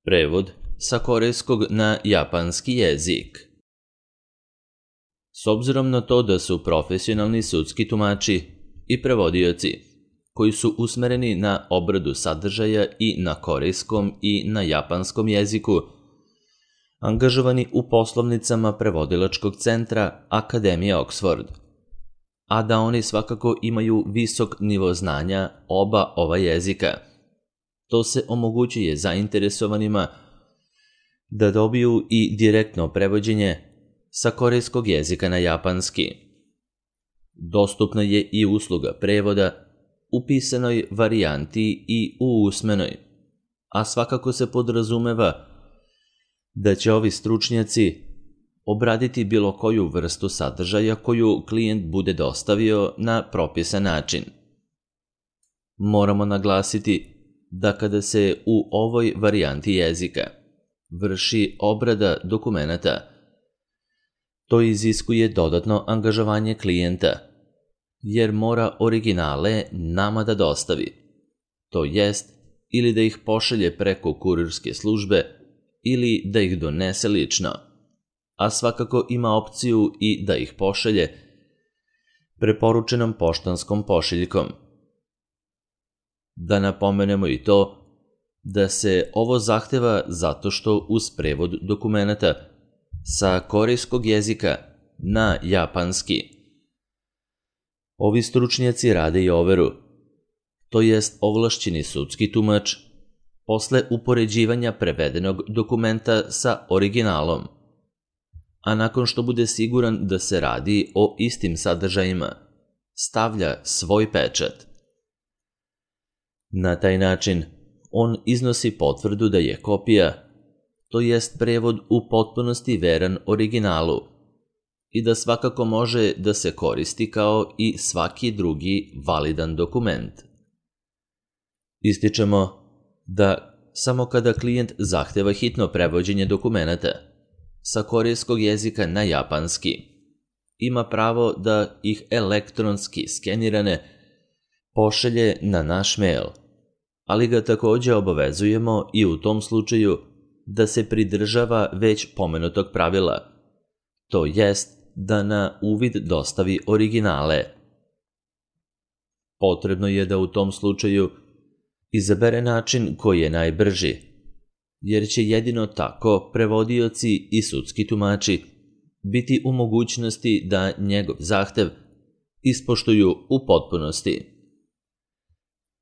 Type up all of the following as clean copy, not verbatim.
Prevod sa korejskog na japanski jezik. S obzirom na to da su profesionalni sudski tumači i prevodioci koji su usmereni na obradu sadržaja i na korejskom i na japanskom jeziku, angažovani u poslovnicama prevodilačkog centra Akademije Oxford, a da oni svakako imaju visok nivo znanja oba ova jezika. To se omogućuje zainteresovanima da dobiju i direktno prevođenje sa korejskog jezika na japanski. Dostupna je i usluga prevoda u pisanoj varijanti i u usmenoj, a svakako se podrazumeva da će ovi stručnjaci obraditi bilo koju vrstu sadržaja koju klijent bude dostavio na propisan način. Moramo naglasiti da kada se u ovoj varijanti jezika vrši obrada dokumenata, to iziskuje dodatno angažovanje klijenta, jer mora originale nama da dostavi, to jest ili da ih pošalje preko kurirske službe ili da ih donese lično, a svakako ima opciju i da ih pošalje preporučenom poštanskom pošiljkom. Da napomenemo i to da se ovo zahteva zato što uz prevod dokumenata sa korejskog jezika na japanski ovi stručnjaci rade i overu, to jest ovlašćeni sudski tumač posle upoređivanja prevedenog dokumenta sa originalom, a nakon što bude siguran da se radi o istim sadržajima, stavlja svoj pečat. Na taj način on iznosi potvrdu da je kopija, to jest prevod u potpunosti veran originalu i da svakako može da se koristi kao i svaki drugi validan dokument. Ističemo da samo kada klijent zahteva hitno prevođenje dokumenata sa korejskog jezika na japanski, ima pravo da ih elektronski skenirane pošalje na naš mail, ali ga također obavezujemo i u tom slučaju da se pridržava već pomenutog pravila, to jest da na uvid dostavi originale. Potrebno je da u tom slučaju izabere način koji je najbrži, jer će jedino tako prevodioci i sudski tumači biti u mogućnosti da njegov zahtev ispoštuju u potpunosti.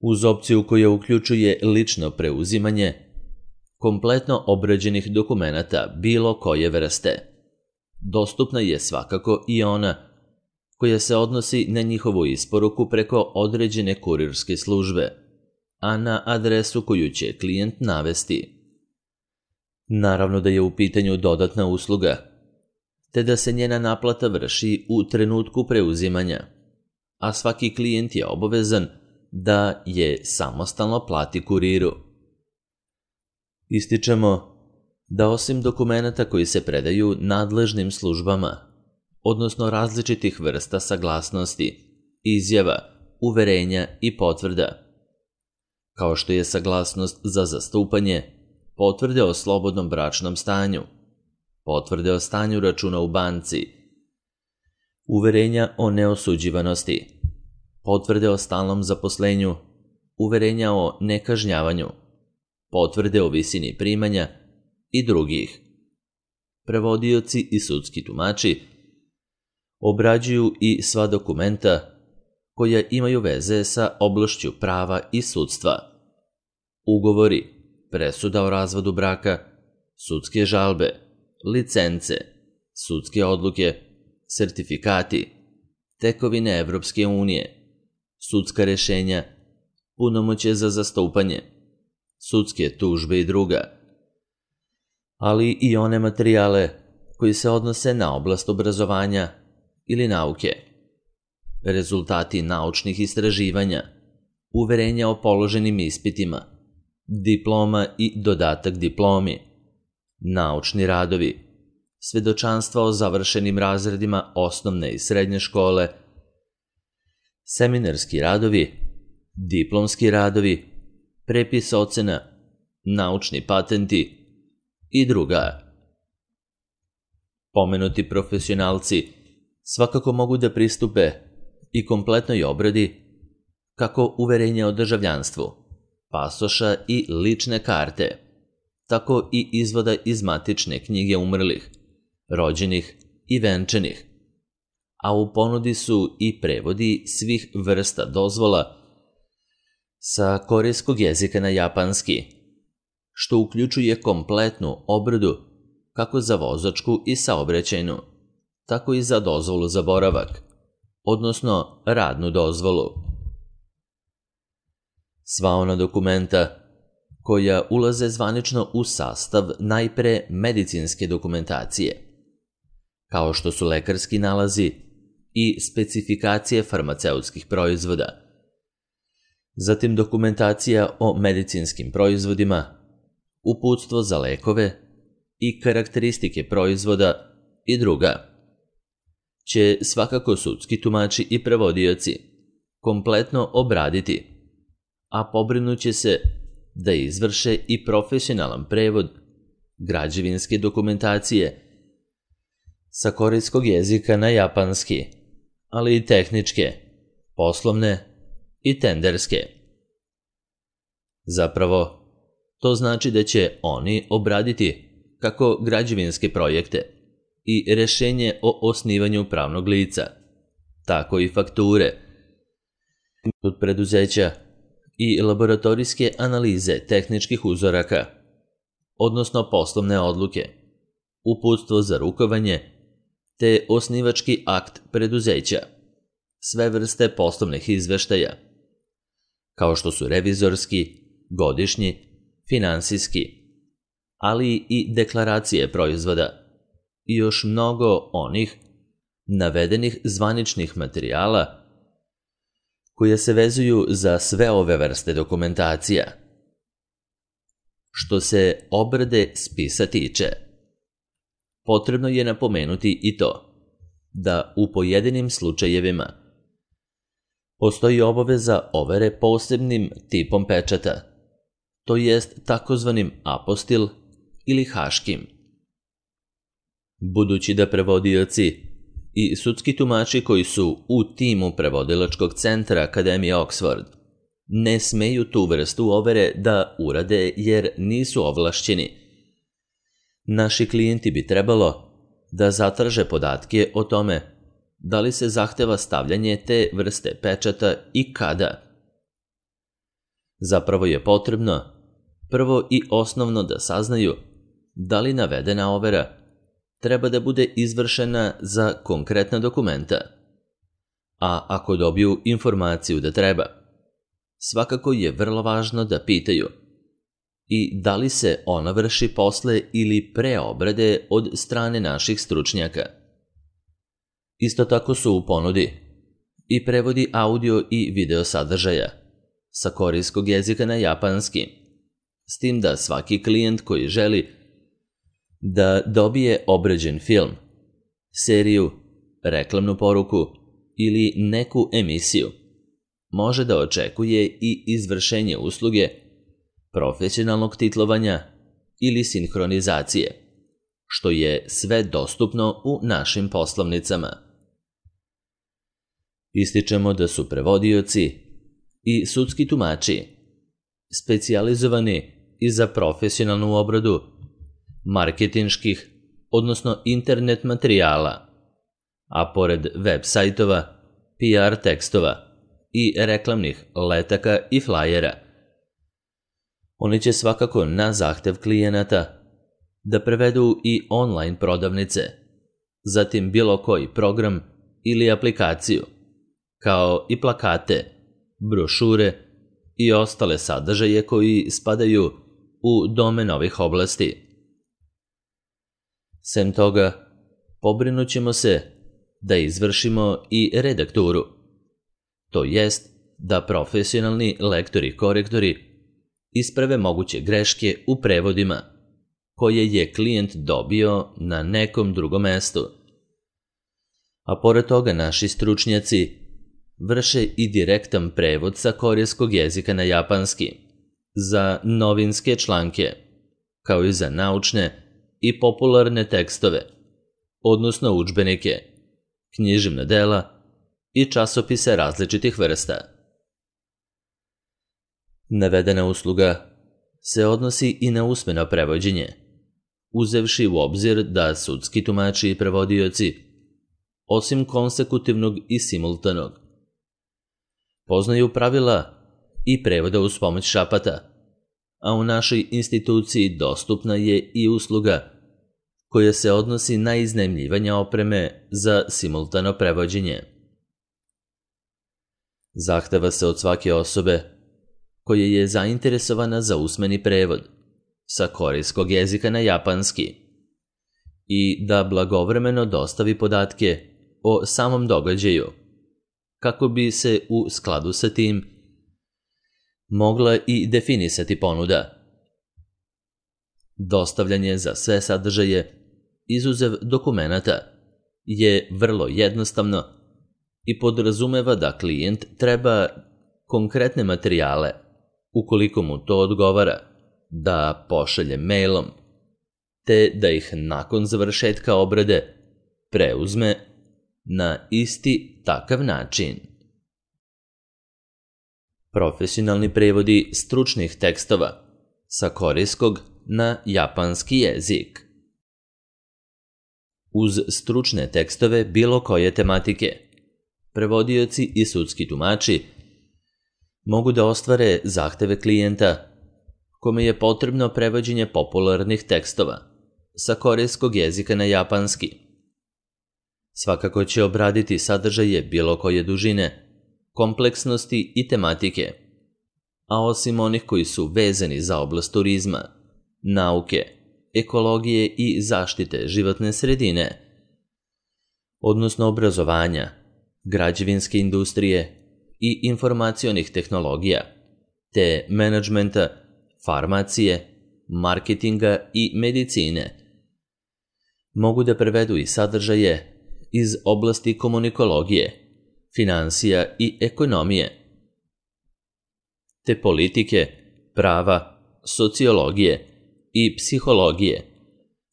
Uz opciju koja uključuje lično preuzimanje kompletno obrađenih dokumenata bilo koje vrste, dostupna je svakako i ona koja se odnosi na njihovu isporuku preko određene kurirske službe, a na adresu koju će klijent navesti. Naravno da je u pitanju dodatna usluga, te da se njena naplata vrši u trenutku preuzimanja, a svaki klijent je obavezan da je samostalno plati kuriru. Ističemo da osim dokumenata koji se predaju nadležnim službama, odnosno različitih vrsta saglasnosti, izjava, uverenja i potvrda, kao što je saglasnost za zastupanje, potvrde o slobodnom bračnom stanju, potvrde o stanju računa u banci, uverenja o neosuđivanosti, potvrde o stalnom zaposlenju, uverenja o nekažnjavanju, potvrde o visini primanja i drugih. Prevodioci i sudski tumači obrađuju i sva dokumenta koja imaju veze sa oblašću prava i sudstva. Ugovori, presuda o razvodu braka, sudske žalbe, licence, sudske odluke, sertifikati, tekovine Evropske unije, sudska rešenja, punomoćje za zastupanje, sudske tužbe i druga, ali i one materijale koji se odnose na oblast obrazovanja ili nauke, rezultati naučnih istraživanja, uverenja o položenim ispitima, diploma i dodatak diplomi, naučni radovi, svedočanstva o završenim razredima osnovne i srednje škole, seminarski radovi, diplomski radovi, prepis ocena, naučni patenti i druga. Pomenuti profesionalci svakako mogu da pristupe i kompletnoj obradi kako uverenja o državljanstvu, pasoša i lične karte, tako i izvoda iz matične knjige umrlih, rođenih i venčanih, a u ponudi su i prevodi svih vrsta dozvola sa korejskog jezika na japanski, što uključuje kompletnu obradu kako za vozačku i saobraćajnu, tako i za dozvolu za boravak, odnosno radnu dozvolu. Sva ona dokumenta koja ulaze zvanično u sastav najpre medicinske dokumentacije, kao što su lekarski nalazi i specifikacije farmaceutskih proizvoda, zatim dokumentacija o medicinskim proizvodima, uputstvo za lekove i karakteristike proizvoda i druga, će svakako sudski tumači i prevodioci kompletno obraditi, a pobrinuće se da izvrše i profesionalan prevod građevinske dokumentacije sa korejskog jezika na japanski, ali i tehničke, poslovne i tenderske. Zapravo, to znači da će oni obraditi kako građevinske projekte i rešenje o osnivanju pravnog lica, tako i fakture od preduzeća i laboratorijske analize tehničkih uzoraka, odnosno poslovne odluke, uputstvo za rukovanje, te osnivački akt preduzeća, sve vrste poslovnih izveštaja, kao što su revizorski, godišnji, finansijski, ali i deklaracije proizvoda i još mnogo onih navedenih zvaničnih materijala koje se vezuju za sve ove vrste dokumentacija. Što se obrade spisa tiče, potrebno je napomenuti i to da u pojedinim slučajevima postoji obaveza overe posebnim tipom pečata, to jest takozvanim apostil ili haškim. Budući da prevodioci i sudski tumači koji su u timu prevodilačkog centra Akademije Oxford ne smeju tu vrstu overe da urade jer nisu ovlašćeni, naši klijenti bi trebalo da zatraže podatke o tome da li se zahteva stavljanje te vrste pečata i kada. Zapravo je potrebno prvo i osnovno da saznaju da li navedena overa treba da bude izvršena za konkretna dokumenta, a ako dobiju informaciju da treba, svakako je vrlo važno da pitaju i da li se ona vrši posle ili pre obrade od strane naših stručnjaka. Isto tako su u ponudi i prevodi audio i video sadržaja sa korejskog jezika na japanski, s tim da svaki klijent koji želi da dobije obrađen film, seriju, reklamnu poruku ili neku emisiju, može da očekuje i izvršenje usluge profesionalnog titlovanja ili sinhronizacije, što je sve dostupno u našim poslovnicama. Ističemo da su prevodioci i sudski tumači specijalizovani i za profesionalnu obradu marketinških, odnosno internet materijala, a pored web sajtova, PR tekstova i reklamnih letaka i flajera, oni će svakako na zahtev klijenata da prevedu i online prodavnice, zatim bilo koji program ili aplikaciju, kao i plakate, brošure i ostale sadržaje koji spadaju u domen ovih oblasti. Sem toga, pobrinut ćemo se da izvršimo i redakturu, to jest da profesionalni lektori-korektori isprave moguće greške u prevodima koje je klijent dobio na nekom drugom mestu. A pored toga naši stručnjaci vrše i direktan prevod sa korejskog jezika na japanski, za novinske članke, kao i za naučne i popularne tekstove, odnosno udžbenike, književna dela i časopise različitih vrsta. Navedena usluga se odnosi i na usmeno prevođenje, uzevši u obzir da sudski tumači i prevodioci, osim konsekutivnog i simultanog, poznaju pravila i prevoda uz pomoć šapata, a u našoj instituciji dostupna je i usluga koja se odnosi na iznajmljivanje opreme za simultano prevođenje. Zahteva se od svake osobe koja je zainteresovana za usmeni prevod sa korejskog jezika na japanski i da blagovremeno dostavi podatke o samom događaju, kako bi se u skladu sa tim mogla i definisati ponuda. Dostavljanje za sve sadržaje, izuzev dokumenata, je vrlo jednostavno i podrazumeva da klijent treba konkretne materijale, ukoliko mu to odgovara, da pošalje mailom, te da ih nakon završetka obrade preuzme na isti takav način. Profesionalni prevodi stručnih tekstova sa korejskog na japanski jezik. Uz stručne tekstove bilo koje tematike, prevodioci i sudski tumači mogu da ostvare zahteve klijenta kome je potrebno prevođenje popularnih tekstova sa korejskog jezika na japanski. Svakako će obraditi sadržaje bilo koje dužine, kompleksnosti i tematike, a osim onih koji su vezani za oblast turizma, nauke, ekologije i zaštite životne sredine, odnosno obrazovanja, građevinske industrije i informacionih tehnologija, te menadžmenta, farmacije, marketinga i medicine. Mogu da prevedu i sadržaje iz oblasti komunikologije, finansija i ekonomije, te politike, prava, sociologije i psihologije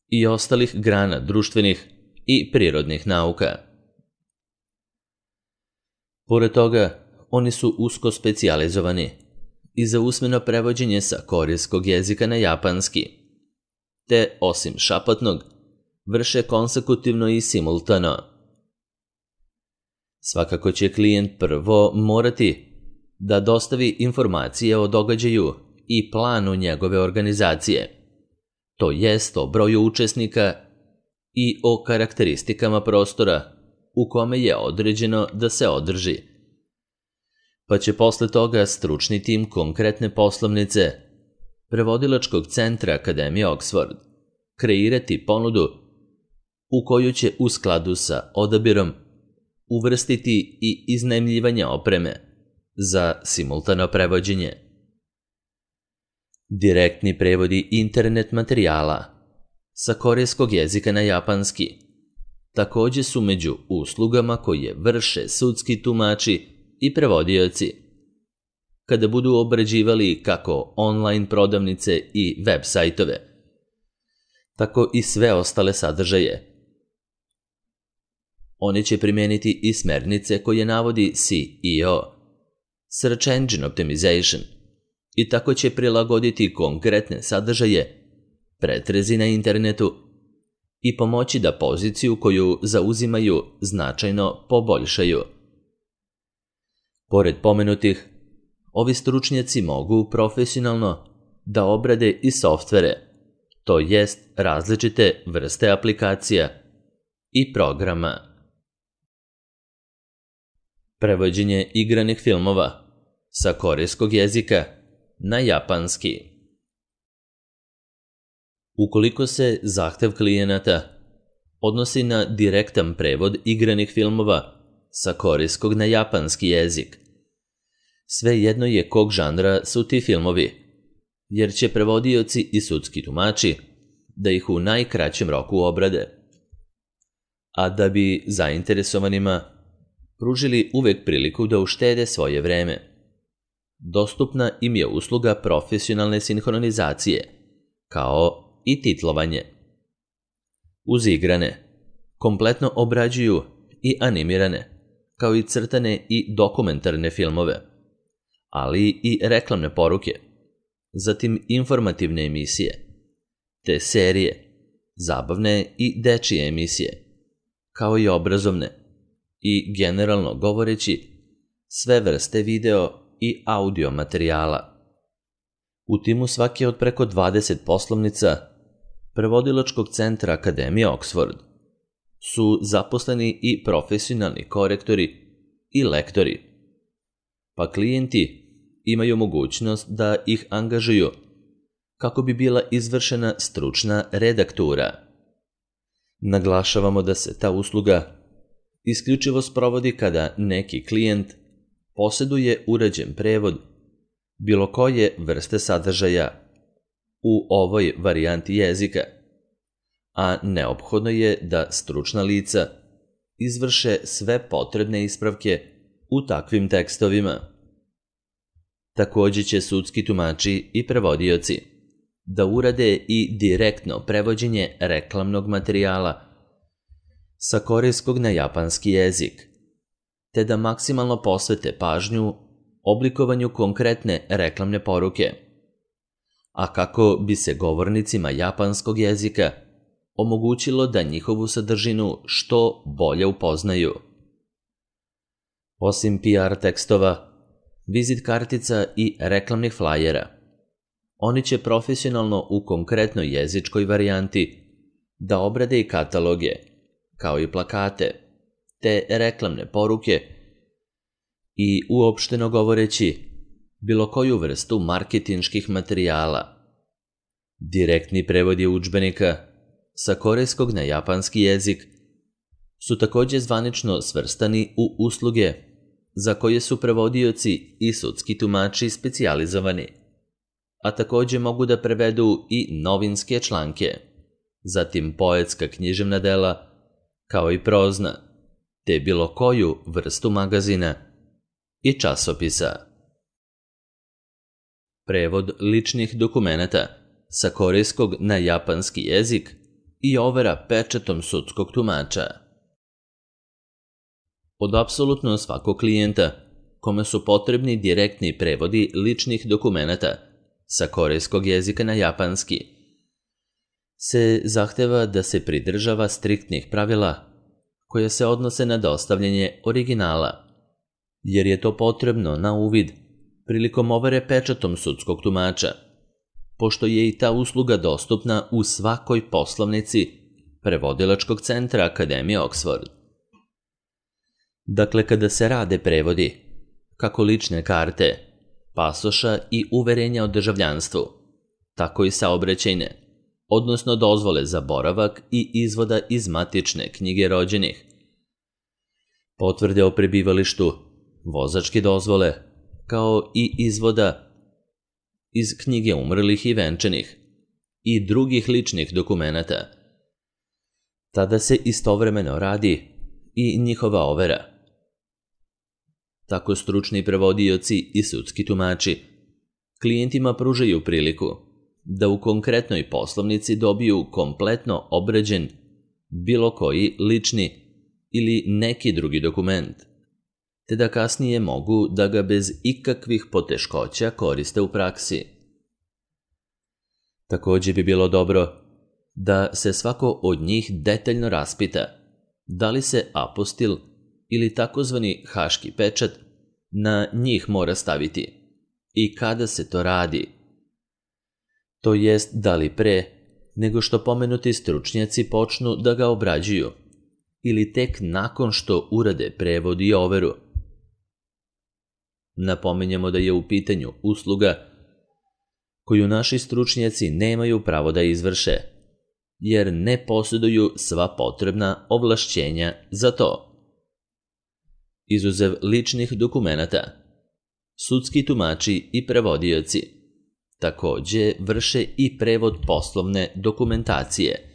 i ostalih grana društvenih i prirodnih nauka. Pored toga, oni su usko specijalizovani i za usmeno prevođenje sa korejskog jezika na japanski, te osim šapatnog, vrše konsekutivno i simultano. Svakako će klijent prvo morati da dostavi informacije o događaju i planu njegove organizacije, to jest o broju učesnika i o karakteristikama prostora u kome je određeno da se održi. Pa će posle toga stručni tim konkretne poslovnice prevodilačkog centra Akademije Oxford kreirati ponudu u koju će u skladu sa odabirom uvrstiti i iznajmljivanje opreme za simultano prevođenje. Direktni prevodi internet materijala sa korejskog jezika na japanski takođe su među uslugama koje vrše sudski tumači i prevodioci kada budu obrađivali kako online prodavnice i web sajtove, tako i sve ostale sadržaje. Oni će primijeniti i smernice koje navodi SEO, Search Engine Optimization, i tako će prilagoditi konkretne sadržaje pretrezi na internetu i pomoći da poziciju koju zauzimaju značajno poboljšaju. Pored pomenutih, ovi stručnjaci mogu profesionalno da obrade i softvere, to jest različite vrste aplikacija i programa. Prevođenje igranih filmova sa korejskog jezika na japanski. Ukoliko se zahtev klijenata odnosi na direktan prevod igranih filmova sa korejskog na japanski jezik, svejedno je kog žanra su ti filmovi, jer će prevodioci i sudski tumači da ih u najkraćem roku obrade. A da bi zainteresovanima pružili uvek priliku da uštede svoje vreme, dostupna im je usluga profesionalne sinhronizacije, kao i titlovanje. Uz igrane, kompletno obrađuju i animirane, kao i crtane i dokumentarne filmove, ali i reklamne poruke, zatim informativne emisije, te serije, zabavne i dečije emisije, kao i obrazovne i, generalno govoreći, sve vrste video i audio materijala. U timu svake od preko 20 poslovnica prevodilačkog centra Akademije Oxford su zaposleni i profesionalni korektori i lektori, pa klijenti imaju mogućnost da ih angažuju kako bi bila izvršena stručna redaktura. Naglašavamo da se ta usluga isključivo sprovodi kada neki klijent posjeduje uređen prevod bilo koje vrste sadržaja u ovoj varijanti jezika, a neophodno je da stručna lica izvrše sve potrebne ispravke u takvim tekstovima. Također će sudski tumači i prevodioci da urade i direktno prevođenje reklamnog materijala sa korejskog na japanski jezik, te da maksimalno posvete pažnju oblikovanju konkretne reklamne poruke, a kako bi se govornicima japanskog jezika omogućilo da njihovu sadržinu što bolje upoznaju. Osim PR tekstova, vizit kartica i reklamnih flajera, oni će profesionalno u konkretnoj jezičkoj varijanti da obrade i kataloge, kao i plakate, te reklamne poruke i, uopšteno govoreći, bilo koju vrstu marketinških materijala. Direktni prevodi udžbenika sa korejskog na japanski jezik su također zvanično svrstani u usluge za koje su prevodioci i sudski tumači specijalizovani, a također mogu da prevedu i novinske članke, zatim poetska književna dela, kao i prozna, te bilo koju vrstu magazina i časopisa. Prevod ličnih dokumenata sa korejskog na japanski jezik i overa pečatom sudskog tumača. Od apsolutno svakog klijenta kome su potrebni direktni prevodi ličnih dokumenata sa korejskog jezika na japanski se zahteva da se pridržava striktnih pravila koje se odnose na dostavljanje originala, jer je to potrebno na uvid prilikom overe pečatom sudskog tumača, pošto je i ta usluga dostupna u svakoj poslovnici prevodilačkog centra Akademije Oxford. Dakle, kada se rade prevodi, kako lične karte, pasoša i uverenja o državljanstvu, tako i saobraćajne, odnosno dozvole za boravak i izvoda iz matične knjige rođenih, potvrde o prebivalištu, vozačke dozvole, kao i izvoda iz knjige umrlih i venčanih i drugih ličnih dokumenata. Tada se istovremeno radi i njihova overa. Tako stručni prevodioci i sudski tumači klijentima pružaju priliku da u konkretnoj poslovnici dobiju kompletno obrađen bilo koji lični ili neki drugi dokument, te da kasnije mogu da ga bez ikakvih poteškoća koriste u praksi. Također bi bilo dobro da se svako od njih detaljno raspita da li se apostil ili takozvani haški pečat na njih mora staviti i kada se to radi. To jest da li pre nego što pomenuti stručnjaci počnu da ga obrađuju ili tek nakon što urade prevod i overu. Napominjemo da je u pitanju usluga koju naši stručnjaci nemaju pravo da izvrše, jer ne posjeduju sva potrebna ovlašćenja za to. Izuzev ličnih dokumenata, sudski tumači i prevodioci također vrše i prevod poslovne dokumentacije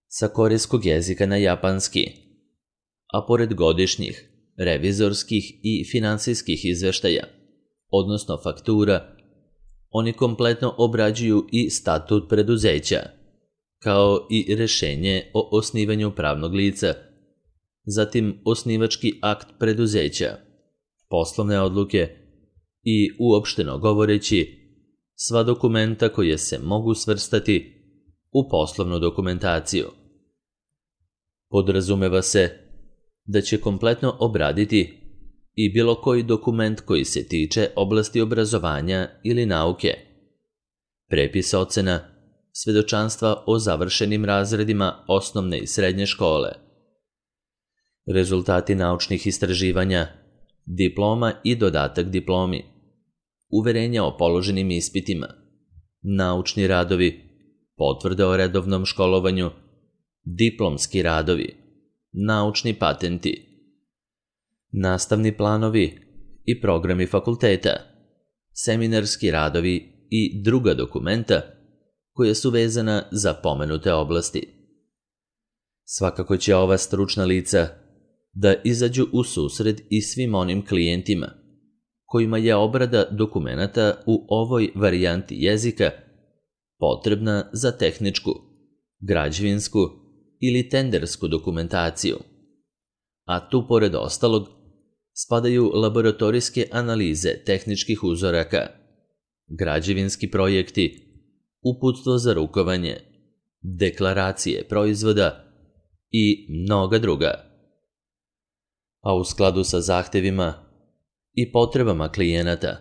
sa korejskog jezika na japanski, a pored godišnjih, revizorskih i finansijskih izveštaja, odnosno faktura, oni kompletno obrađuju i statut preduzeća, kao i rešenje o osnivanju pravnog lica, zatim osnivački akt preduzeća, poslovne odluke i, uopšteno govoreći, sva dokumenta koje se mogu svrstati u poslovnu dokumentaciju. Podrazumeva se da će kompletno obraditi i bilo koji dokument koji se tiče oblasti obrazovanja ili nauke, prepis ocena, svedočanstva o završenim razredima osnovne i srednje škole, rezultati naučnih istraživanja, diploma i dodatak diplomi, uverenja o položenim ispitima, naučni radovi, potvrde o redovnom školovanju, diplomski radovi, naučni patenti, nastavni planovi i programi fakulteta, seminarski radovi i druga dokumenta koja su vezana za pomenute oblasti. Svakako će ova stručna lica da izađu u susret i svim onim klijentima kojima je obrada dokumenata u ovoj varijanti jezika potrebna za tehničku, građevinsku ili tendersku dokumentaciju, a tu pored ostalog spadaju laboratorijske analize tehničkih uzoraka, građevinski projekti, uputstvo za rukovanje, deklaracije proizvoda i mnoga druga. A u skladu sa zahtevima i potrebama klijenata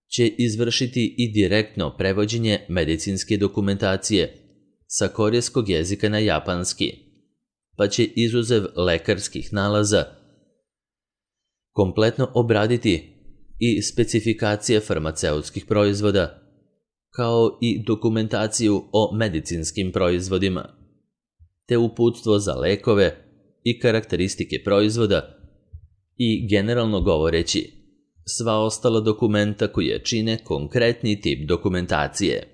će izvršiti i direktno prevođenje medicinske dokumentacije sa korejskog jezika na japanski, pa će izuzev lekarskih nalaza kompletno obraditi i specifikacije farmaceutskih proizvoda, kao i dokumentaciju o medicinskim proizvodima, te uputstvo za lekove i karakteristike proizvoda i, generalno govoreći, sva ostala dokumenta koje čine konkretni tip dokumentacije.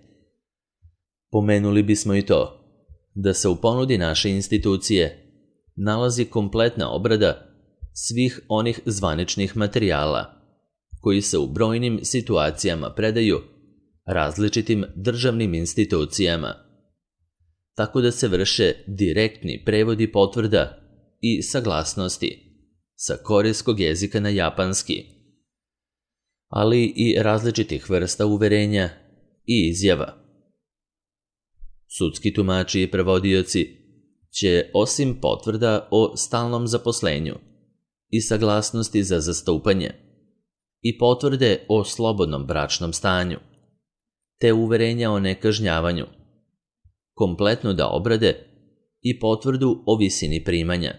Pomenuli bismo i to da se u ponudi naše institucije nalazi kompletna obrada svih onih zvaničnih materijala koji se u brojnim situacijama predaju različitim državnim institucijama, tako da se vrše direktni prevodi potvrda i saglasnosti sa korejskog jezika na japanski, ali i različitih vrsta uverenja i izjava. Sudski tumači i prevodioci će, osim potvrda o stalnom zaposlenju i saglasnosti za zastupanje i potvrde o slobodnom bračnom stanju, te uverenja o nekažnjavanju, kompletno da obrade i potvrdu o visini primanja,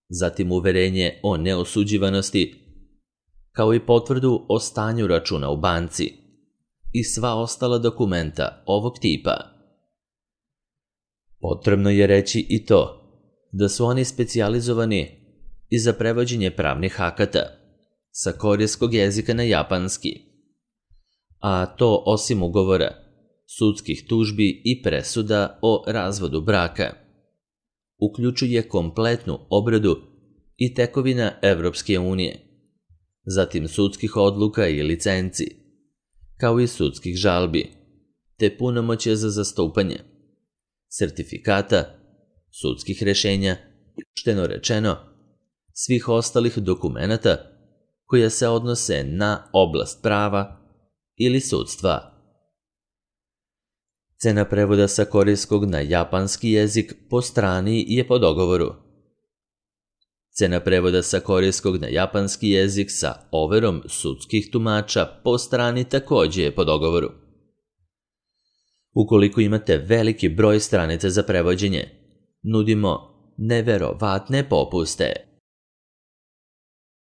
zatim uverenje o neosuđivanosti, kao i potvrdu o stanju računa u banci i sva ostala dokumenta ovog tipa. Potrebno je reći i to da su oni specijalizovani i za prevođenje pravnih akata sa korejskog jezika na japanski, a to osim ugovora, sudskih tužbi i presuda o razvodu braka, uključuje kompletnu obradu i tekovina Evropske unije, zatim sudskih odluka i licenci, kao i sudskih žalbi, te punomoćja za zastupanje, sertifikata, sudskih rešenja i, uopšteno rečeno, svih ostalih dokumenata koja se odnose na oblast prava ili sudstva. Cena prevoda sa korejskog na japanski jezik po strani je po dogovoru. Cena prevoda sa korejskog na japanski jezik sa overom sudskih tumača po strani takođe je po dogovoru. Ukoliko imate veliki broj stranica za prevođenje, nudimo neverovatne popuste.